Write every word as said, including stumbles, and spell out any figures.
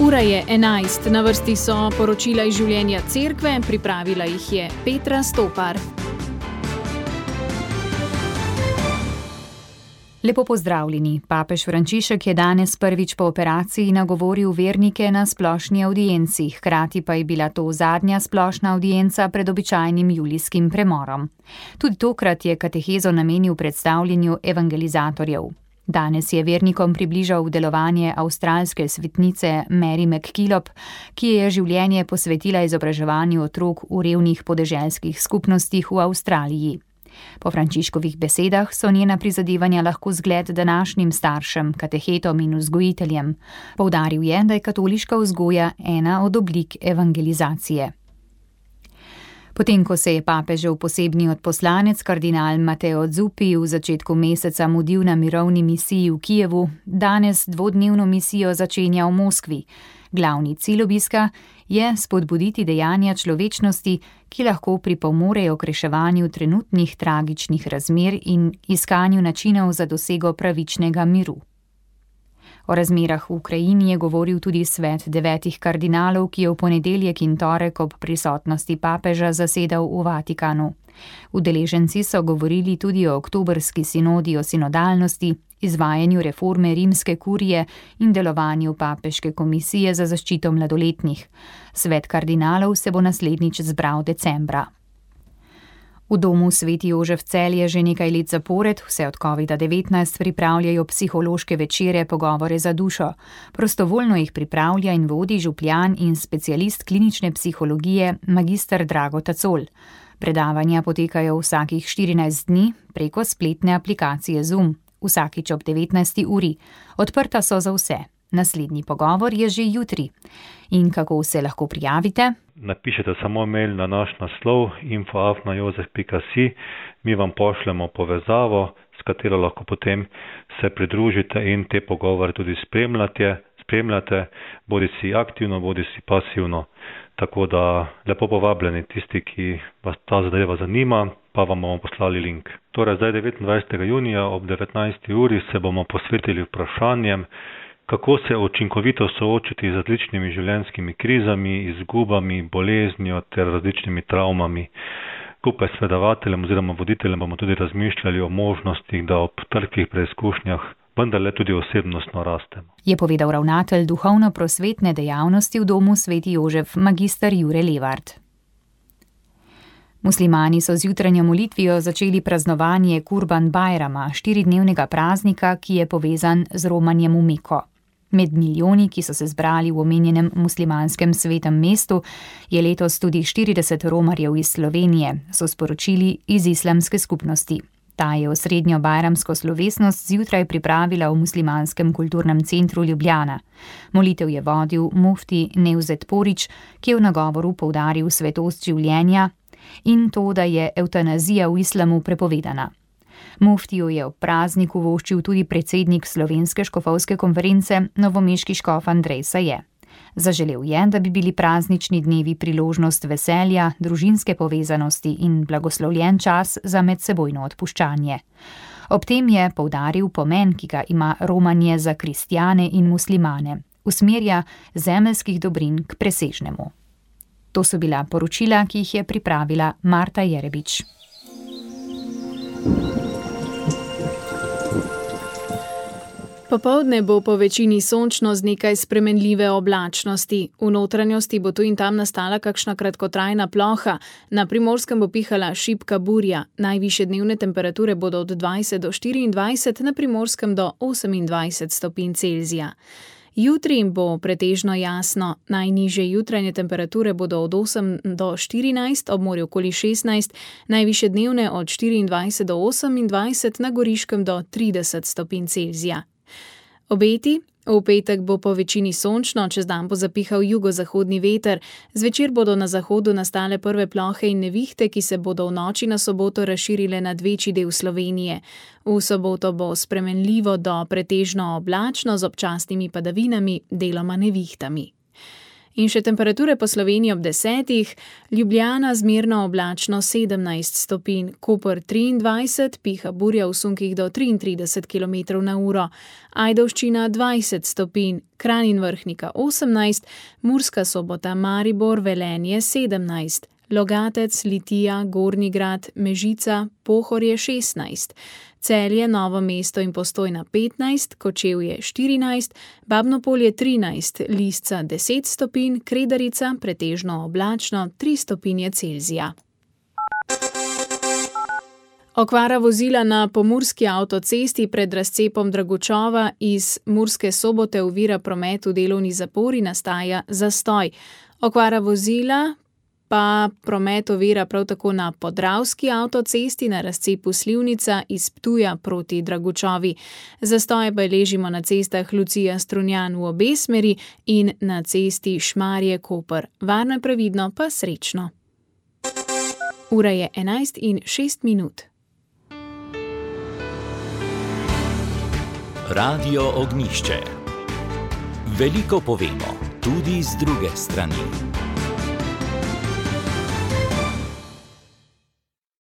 Ura je enajst, na vrsti so poročila iz življenja cerkve, pripravila jih je Petra Stopar. Lepo pozdravljeni. Papež Frančišek je danes prvič po operaciji nagovoril vernike na splošni avdienci, hkrati pa je bila to zadnja splošna avdienca pred običajnim julijskim premorom. Tudi tokrat je katehezo namenil predstavljanju evangelizatorjev. Danes je vernikom približal delovanje avstralske svetnice Mary MacKillop, ki je življenje posvetila izobraževanju otrok v revnih podeželskih skupnostih v Avstraliji. Po Frančiškovih besedah so njena prizadevanja lahko zgled današnjim staršem, katehetom in vzgojiteljem. Poudaril je, da je katoliška vzgoja ena od oblik evangelizacije. Potem, ko se je papežev posebni odposlanec kardinal Matteo Zuppi v začetku meseca mudil na mirovni misiji v Kijevu, danes dvodnevno misijo začenja v Moskvi. Glavni cilj obiska je spodbuditi dejanja človečnosti, ki lahko pripomorejo k reševanju trenutnih tragičnih razmer in iskanju načinov za dosego pravičnega miru. O razmerah v Ukrajini je govoril tudi svet devetih kardinalov, ki je v ponedeljek in torek ob prisotnosti papeža zasedal v Vatikanu. Udeleženci so govorili tudi o oktobrski sinodi o sinodalnosti, izvajanju reforme rimske kurije in delovanju papeške komisije za zaščito mladoletnih. Svet kardinalov se bo naslednjič zbral decembra. V domu Sveti Jožef Celje že nekaj let zapored, vse od covida devetnajst, pripravljajo psihološke večere Pogovore za dušo. Prostovoljno jih pripravlja in vodi župljan in specialist klinične psihologije magister Drago Tacol. Predavanja potekajo vsakih štirinajst dni preko spletne aplikacije Zoom, vsakič ob devetnajsti uri. Odprta so za vse. Naslednji pogovor je že jutri. In kako se lahko prijavite? Napišite samo mail na naš naslov info afna jozef pika si, mi vam pošljemo povezavo, s katero lahko potem se pridružite in te pogovore tudi spremljate, spremljate, bodi si aktivno, bodi si pasivno. Tako da lepo povabljeni tisti, ki vas ta zadeva zanima, pa vam bomo poslali link. Torej zdaj devetindvajsetega junija ob devetnajsti uri se bomo posvetili vprašanjem, kako se učinkovito soočiti z različnimi življenjskimi krizami, izgubami, boleznjo ter različnimi travmami. Skupaj s predavateljem oziroma voditeljem bomo tudi razmišljali o možnostih, da ob trpkih preizkušnjah vendarle tudi osebnostno rastemo. Je povedal ravnatelj duhovno-prosvetne dejavnosti v domu Sveti Jožef magister Jure Levart. Muslimani so z jutranjo molitvijo začeli praznovanje Kurban Bajrama, štiridnevnega praznika, ki je povezan z romanjem v Meko. Med milijoni, ki so se zbrali v omenjenem muslimanskem svetem mestu, je letos tudi štirideset romarjev iz Slovenije, so sporočili iz islamske skupnosti. Ta je osrednjo bajramsko slovesnost zjutraj pripravila v muslimanskem kulturnem centru Ljubljana. Molitev je vodil mufti Nevzet Porić, ki je v nagovoru poudaril svetost življenja in to, da je evtanazija v islamu prepovedana. Muftiju je ob prazniku voščil tudi predsednik Slovenske škofovske konference, novomeški škof Andrej Saje. Zaželel je, da bi bili praznični dnevi priložnost veselja, družinske povezanosti in blagoslovljen čas za medsebojno odpuščanje. Ob tem je poudaril pomen, ki ga ima romanje za kristjane in muslimane, usmerja zemeljskih dobrin k presežnemu. To so bila poročila, ki jih je pripravila Marta Jerebič. Popoldne bo po večini sončno z nekaj spremenljive oblačnosti. V notranjosti bo tu in tam nastala kakšna kratkotrajna ploha, na Primorskem bo pihala šibka burja. Najvišje dnevne temperature bodo od dvajset do štiriindvajset, na Primorskem do osemindvajset stopinj Celzija. Jutri bo pretežno jasno, najnižje jutranje temperature bodo od osem do štirinajst, ob morju okoli šestnajst, najvišje dnevne od štiriindvajset do osemindvajset, na Goriškem do trideset stopinj Celzija. Obeti: v petek bo po večini sončno, čez dan bo zapihal jugozahodni veter, zvečer bodo na zahodu nastale prve plohe in nevihte, ki se bodo v noči na soboto razširile nad večji del Slovenije. V soboto bo spremenljivo do pretežno oblačno z občasnimi padavinami, deloma nevihtami. In še temperature po Sloveniji ob desetih, Ljubljana zmerno oblačno sedemnajst stopinj, Koper triindvajset, piha burja v sunkih do triintrideset kilometrov na uro, Ajdovščina dvajset stopinj, Kranj in Vrhnika osemnajst, Murska Sobota, Maribor, Velenje sedemnajst, Logatec, Litija, Gornji Grad, Mežica, Pohorje šestnajst, Celje, Novo mesto in Postojna petnajst, Kočevje štirinajst, Babno Polje trinajst, Lisca deset stopinj, Kredarica pretežno oblačno tri stopinje Celzija. Okvara vozila na pomurski avtocesti pred razcepom Dragučova iz Murske Sobote ovira promet v delovni zapori, nastaja zastoj. Okvara vozila pa promet ovira prav tako na Podravski avtocesti na razcepu Slivnica iz Ptuja proti Dragučovi. Zastoje beležimo na cestah Lucija Strunjan v obe smeri in na cesti Šmarje-Koper. Varno in previdno pa srečno. Ura je enajst in šest minut. Radio Ognjišče. Veliko povemo, tudi z druge strani.